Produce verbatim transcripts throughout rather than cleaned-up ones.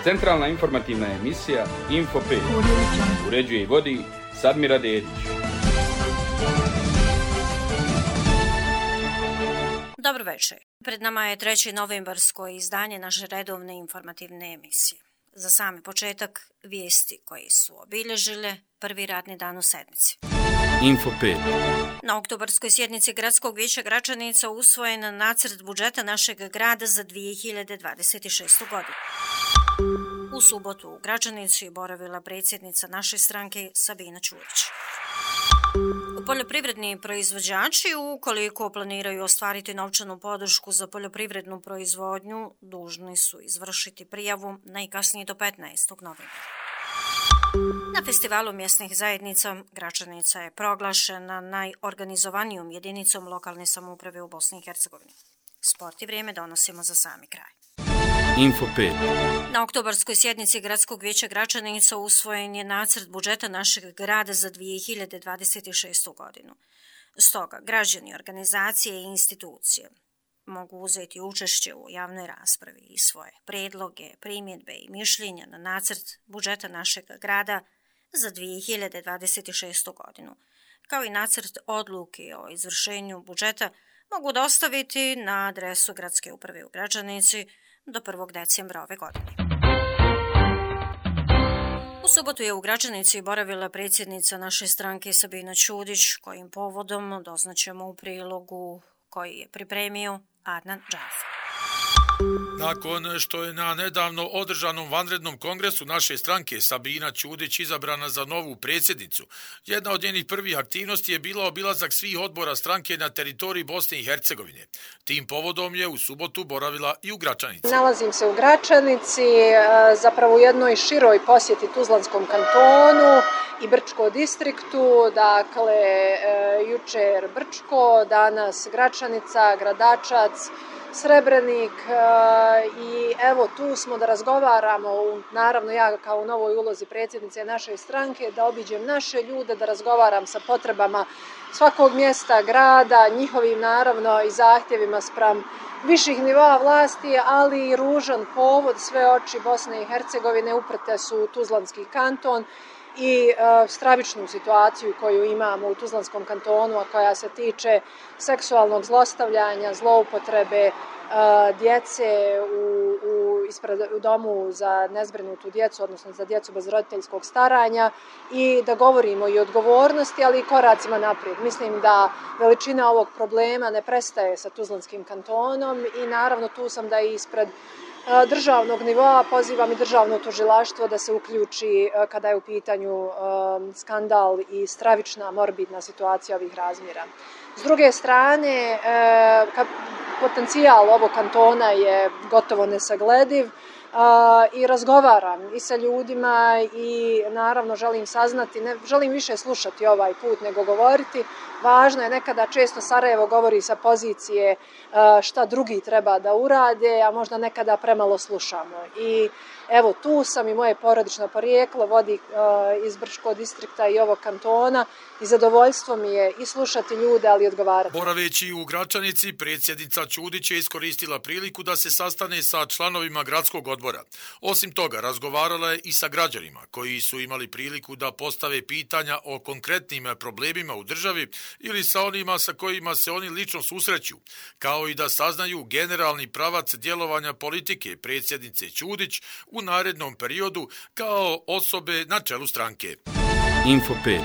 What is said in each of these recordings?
Centralna informativna emisija Info pet. Uređuje i vodi Sadmira Dedić. Dobro večer. Pred nama je treće novembarsko izdanje naše redovne informativne emisije. Za sami početak vijesti koje su obilježile prvi radni dan u sedmici. Info pet. Na oktobarskoj sjednici Gradskog vijeća Gračanica usvojen nacrt budžeta našeg grada za dvije hiljade dvadeset šestu. godinu. U subotu u Gračanici je boravila predsjednica naše stranke Sabina Ćurić. Poljoprivredni proizvođači, ukoliko planiraju ostvariti novčanu podršku za poljoprivrednu proizvodnju, dužni su izvršiti prijavu najkasnije do petnaestog novembra. Na festivalu mjesnih zajednica Gračanica je proglašena najorganizovanijom jedinicom lokalne samouprave u Bosni i Hercegovini. Sport i vrijeme donosimo za sami kraj. Info pet. Na oktobarskoj sjednici Gradskog vijeća Gračanica usvojen je nacrt budžeta našeg grada za dvije hiljade dvadeset šestu. godinu. Stoga, građani, organizacije i institucije mogu uzeti učešće u javnoj raspravi i svoje predloge, primjedbe i mišljenja na nacrt budžeta našeg grada za dvije hiljade dvadeset šestu. godinu, kao i nacrt odluke o izvršenju budžeta mogu dostaviti na adresu Gradske uprave u Gračanici do prvog decembra ove godine. U subotu je u Gračanici boravila predsjednica naše stranke Sabina Ćurić, kojim povodom doznaćemo u prilogu koji je pripremio Adnan Džafer. Nakon što je na nedavno održanom vanrednom kongresu naše stranke Sabina Ćurić izabrana za novu predsjednicu, jedna od njenih prvih aktivnosti je bila obilazak svih odbora stranke na teritoriji Bosne i Hercegovine. Tim povodom je u subotu boravila i u Gračanici. Nalazim se u Gračanici, zapravo u jednoj široj posjeti Tuzlanskom kantonu i Brčko distriktu, dakle jučer Brčko, danas Gračanica, Gradačac, Srebrenik i evo tu smo da razgovaramo, naravno ja kao u novoj ulozi predsjednice naše stranke, da obiđem naše ljude, da razgovaram sa potrebama svakog mjesta, grada, njihovim naravno i zahtjevima spram viših nivoa vlasti, ali i ružan povod, sve oči Bosne i Hercegovine uprte su u Tuzlanski kanton i e, stravičnu situaciju koju imamo u Tuzlanskom kantonu, a koja se tiče seksualnog zlostavljanja, zloupotrebe e, djece u, u, ispred, u domu za nezbrinutu djecu, odnosno za djecu bez roditeljskog staranja, i da govorimo i o odgovornosti, ali i koracima naprijed. Mislim da veličina ovog problema ne prestaje sa Tuzlanskim kantonom i naravno tu sam da i ispred državnog nivoa pozivam i državno tužilaštvo da se uključi kada je u pitanju skandal i stravična morbidna situacija ovih razmjera. S druge strane, potencijal ovog kantona je gotovo nesaglediv i razgovaram i sa ljudima i naravno želim saznati, ne želim više slušati ovaj put nego govoriti. Važno je nekada, često Sarajevo govori sa pozicije šta drugi treba da urade, a možda nekada premalo slušamo. I evo tu sam i moje porodično porijeklo vodi iz Brčkog distrikta i ovog kantona i zadovoljstvo mi je i slušati ljude, ali i odgovarati. Boraveći u Gračanici, predsjednica Ćurić je iskoristila priliku da se sastane sa članovima gradskog odbora. Osim toga, razgovarala je i sa građanima koji su imali priliku da postave pitanja o konkretnim problemima u državi ili sa onima sa kojima se oni lično susreću, kao i da saznaju generalni pravac djelovanja politike predsjednice Ćurić u narednom periodu kao osobe na čelu stranke. Info pet.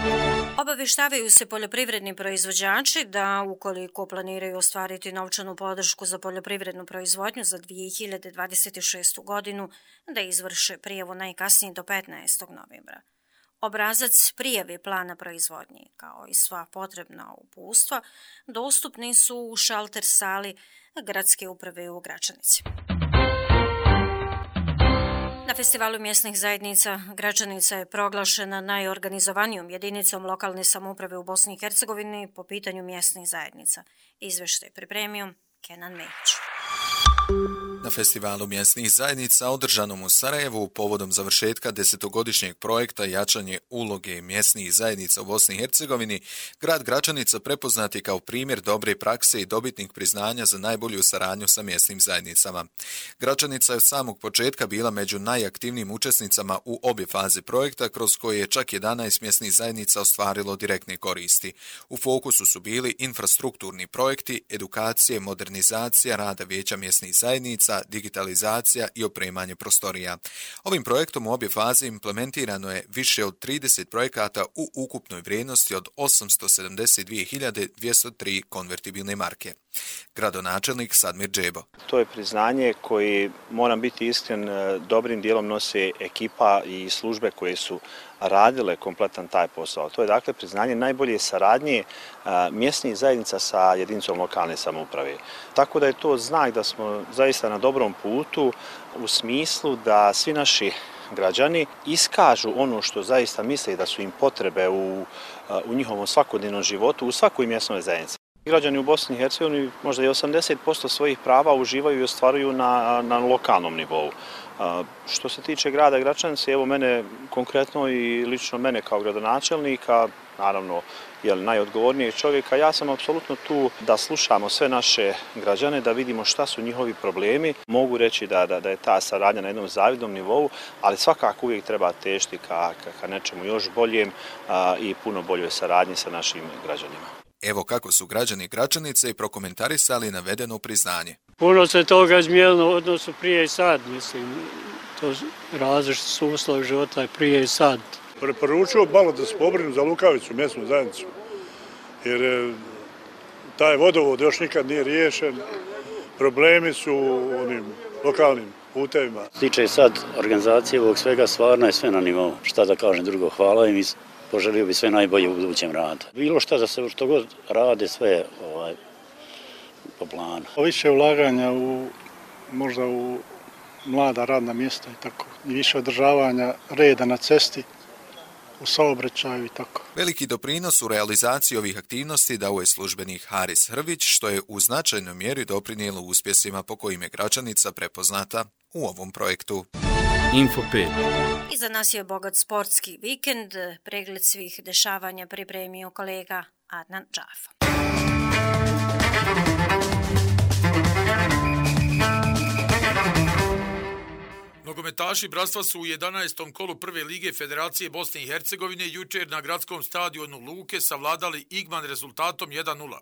Obaveštavaju se poljoprivredni proizvođači da ukoliko planiraju ostvariti novčanu podršku za poljoprivrednu proizvodnju za dvije hiljade dvadeset šestu. godinu, da izvrše prijavu najkasnije do petnaestog novembra. Obrazac prijave plana proizvodnje, kao i sva potrebna uputstva, dostupni su u šalter sali Gradske uprave u Gračanici. Na festivalu mjesnih zajednica Gračanica je proglašena najorganizovanijom jedinicom lokalne samouprave u Bosni i Hercegovini po pitanju mjesnih zajednica. Izveštaj pripremio Kenan Mehić. Na festivalu mjesnih zajednica održanom u Sarajevu povodom završetka desetogodišnjeg projekta jačanje uloge mjesnih zajednica u Bosni i Hercegovini, grad Gračanica prepoznat je kao primjer dobre prakse i dobitnik priznanja za najbolju saradnju sa mjesnim zajednicama. Gračanica je od samog početka bila među najaktivnijim učesnicama u obje faze projekta, kroz koje je čak jedanaest mjesnih zajednica ostvarilo direktne koristi. U fokusu su bili infrastrukturni projekti, edukacije, modernizacija rada vijeća mjesnih zajednica, digitalizacija i opremanje prostorija. Ovim projektom u obje faze implementirano je više od trideset projekata u ukupnoj vrijednosti od osamsto sedamdeset dvije hiljade dvjesto tri konvertibilne marke. Gradonačelnik Sadmir Džebo. To je priznanje koji, moram biti iskren, dobrim dijelom nose ekipa i službe koje su radile kompletan taj posao. To je dakle priznanje najbolje saradnje mjesnih zajednica sa jedinicom lokalne samouprave. Tako da je to znak da smo zaista na dobrom putu u smislu da svi naši građani iskažu ono što zaista misle da su im potrebe u, u njihovom svakodnevnom životu u svakoj mjesnoj zajednici. Građani u Bosni i Hercegovini možda i osamdeset posto svojih prava uživaju i ostvaruju na, na lokalnom nivou. Što se tiče grada Gračanice, evo mene konkretno i lično mene kao gradonačelnika, naravno jel, najodgovornijeg čovjeka, ja sam apsolutno tu da slušamo sve naše građane, da vidimo šta su njihovi problemi. Mogu reći da, da, da je ta saradnja na jednom zavidnom nivou, ali svakako uvijek treba težiti ka, ka, ka nečemu još boljem a, i puno boljoj saradnji sa našim građanima. Evo kako su građani Gračanice i prokomentarisali navedeno priznanje. Puno se toga izmijenilo u odnosu prije i sad, mislim, to različiti su uslovi života prije i sad. Preporučio malo da se pobrinu za Lukavicu, mjesnu zajednicu, jer taj vodovod još nikad nije riješen, problemi su u onim lokalnim putevima. Tiče sad organizacije ovog svega, stvarno je sve na nivou. Šta da kažem drugo, hvala im i poželio bi sve najbolje u budućem radu. Bilo šta da se što god rade, sve ovaj, po planu. Više ulaganja u, možda u mlada radna mjesta i tako. I više održavanja reda na cesti, u saobraćaju i tako. Veliki doprinos u realizaciji ovih aktivnosti dao je službenik Haris Hrvić, što je u značajnoj mjeri doprinijelo uspjesima po kojim je Gračanica prepoznata u ovom projektu. Info pet. Iza nas je bogat sportski vikend. Pregled svih dešavanja pripremio kolega Adnan Džafa. Nogometaši Bratstva su u jedanaestom kolu prve lige Federacije Bosne i Hercegovine jučer na gradskom stadionu Luke savladali Igman rezultatom jedan nula.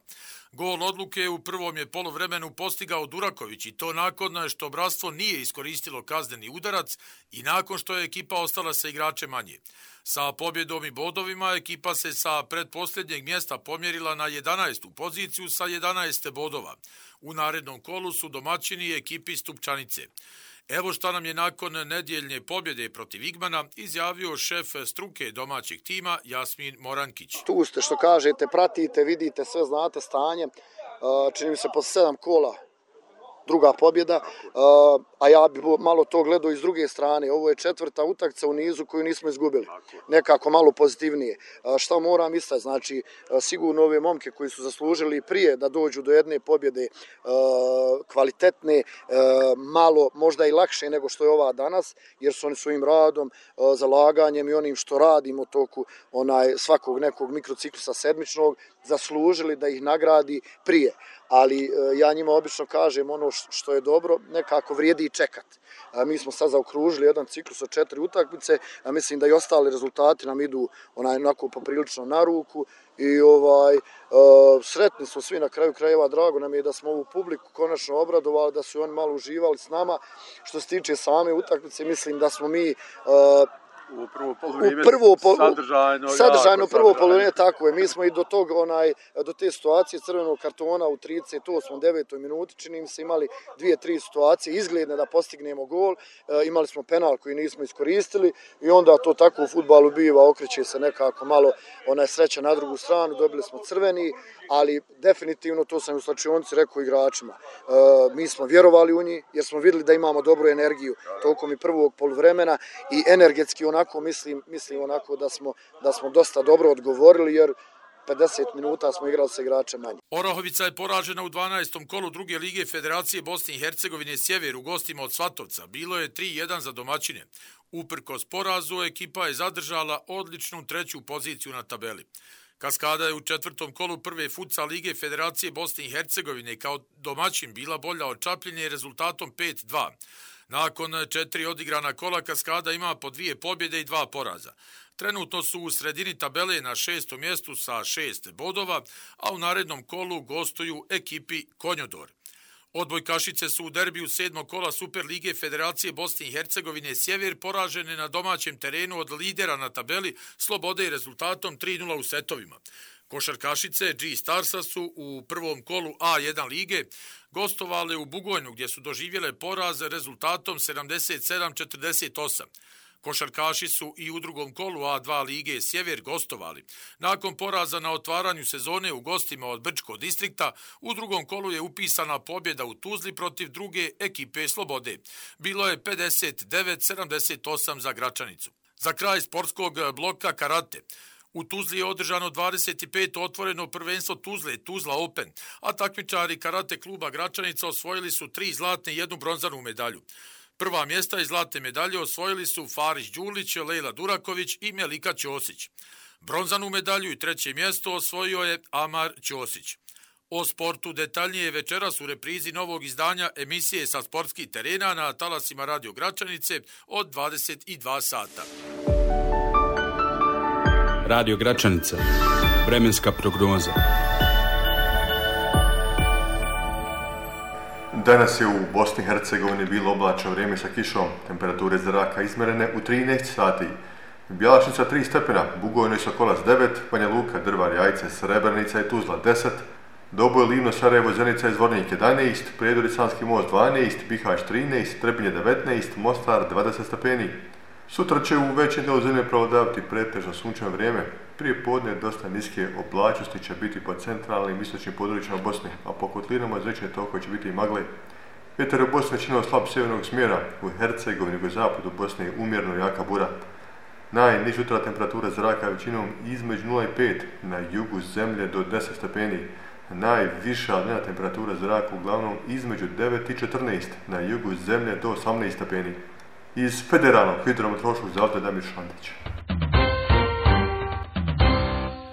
Gol odluke u prvom je poluvremenu postigao Duraković i to nakon što Bratstvo nije iskoristilo kazneni udarac i nakon što je ekipa ostala sa igračem manje. Sa pobjedom i bodovima ekipa se sa pretposljednjeg mjesta pomjerila na jedanaestu poziciju sa jedanaest bodova. U narednom kolu su domaćini ekipi Stupčanice. Evo šta nam je nakon nedjeljne pobjede protiv Igmana izjavio šef struke domaćeg tima Jasmin Morankić. Tu ste što kažete, pratite, vidite, sve znate stanje. Čini mi se posle sedam kola druga pobjeda, a ja bi malo to gledao iz druge strane. Ovo je četvrta utakmica u nizu koju nismo izgubili. Nekako malo pozitivnije. Šta moram istaći? Znači, sigurno ove momke koji su zaslužili prije da dođu do jedne pobjede kvalitetne, malo možda i lakše nego što je ova danas, jer su oni svojim radom, zalaganjem i onim što radimo toku onaj svakog nekog mikrociklusa sedmičnog zaslužili da ih nagradi prije. Ali ja njima obično kažem ono što je dobro, nekako vrijedi i čekat. Mi smo sad zaokružili jedan ciklus od četiri utakmice, a mislim da i ostali rezultati nam idu onaj onako poprilično na ruku i ovaj sretni smo svi na kraju krajeva, drago nam je da smo ovu publiku konačno obradovali, da su oni malo uživali s nama. Što se tiče same utakmice, mislim da smo mi u prvo poluvreme sadržajno, sadržajno prvo poluvreme, tako je. Mi smo i do tog onaj do te situacije crvenog kartona u trideset osmoj devetoj minuti čini mi se imali dvije tri situacije izgledne da postignemo gol. E, imali smo penal koji nismo iskoristili i onda to tako u fudbalu biva, okreće se nekako malo onaj sreća na drugu stranu, dobili smo crveni, ali definitivno to sam u slačionici rekao igračima. E, mi smo vjerovali u njih jer smo vidjeli da imamo dobru energiju tokom i prvog poluvremena i energetski onako mislim, mislim onako da smo, da smo dosta dobro odgovorili jer pedeset minuta smo igrali sa igračem manje. Orahovica je poražena u dvanaestom kolu druge lige Federacije Bosne i Hercegovine Sjever u gostima od Svatovca. Bilo je tri jedan za domaćine. Uprkos porazu, ekipa je zadržala odličnu treću poziciju na tabeli. Kaskada je u četvrtom kolu prve futsal lige Federacije Bosne i Hercegovine kao domaćin bila bolja od Čapljine rezultatom pet dva. Nakon četiri odigrana kola Kaskada ima po dvije pobjede i dva poraza. Trenutno su u sredini tabele na šestom mjestu sa šest bodova, a u narednom kolu gostuju ekipi Konjodor. Odbojkašice su u derbiju sedmog kola Super lige Federacije Bosne i Hercegovine Sjever poražene na domaćem terenu od lidera na tabeli Slobode i rezultatom tri nula u setovima. Košarkašice G-Starsa su u prvom kolu A jedan lige gostovale u Bugojnu gdje su doživjele poraz rezultatom sedamdeset sedam četrdeset osam. Košarkaši su i u drugom kolu A dva lige Sjever gostovali. Nakon poraza na otvaranju sezone u gostima od Brčkog distrikta, u drugom kolu je upisana pobjeda u Tuzli protiv druge ekipe Slobode. Bilo je pedeset devet sedamdeset osam za Gračanicu. Za kraj sportskog bloka karate. U Tuzli je održano dvadeset peto otvoreno prvenstvo Tuzle, Tuzla Open, a takmičari karate kluba Gračanica osvojili su tri zlatne i jednu bronzanu medalju. Prva mjesta i zlatne medalje osvojili su Farić Đulić, Lejla Duraković i Melika Ćosić. Bronzanu medalju i treće mjesto osvojio je Amar Ćosić. O sportu detaljnije večeras u reprizi novog izdanja emisije sa sportskih terena na talasima Radio Gračanice od dvadeset dva sata. Radio Gračanica. Vremenska prognoza. Danas je u Bosni i Hercegovini bilo oblačno vrijeme sa kišom, temperature zraka izmjerene u trinaest sati. Bjelašnica tri stepena, Bugojno i Sokolac devet, Banja Luka, Drvar, Jajce, Srebrenica i Tuzla deset, Doboj, Livno, Sarajevo, Zenica i Zvornik jedanaest, Prijedor i Sanski most dvanaest, Bihać trinaest, Trebinje devetnaest, Mostar dvadeset stepeni. Sutra će u većem dijelu zemlje prevladavati pretežno sunčano vrijeme. Prije podne dosta niske oblačnosti će biti po centralnim i istočnim područjima Bosne, a po kotlinama izrečene tokove će biti i magle. Vjetar je u Bosni većinom slab sjevernog smjera, u Hercegovini i zapadu Bosne je umjerno jaka bura. Najniža jutra temperatura zraka većinom između nula i pet, na jugu zemlje do deset stepeni. Najviša dnevna temperatura zraka uglavnom između devet i četrnaest, na jugu zemlje do osamnaest stepeni. Iz Federalnog hidrometeorološkog zavoda Damir Šantić.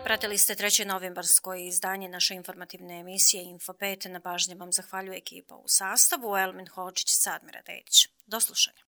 Pratili ste treće novembarsko izdanje naše informativne emisije Info pet. Na pažnji vam zahvaljuje ekipa u sastavu Elmin Hođić, Sadmira Dedić. Do slušanja.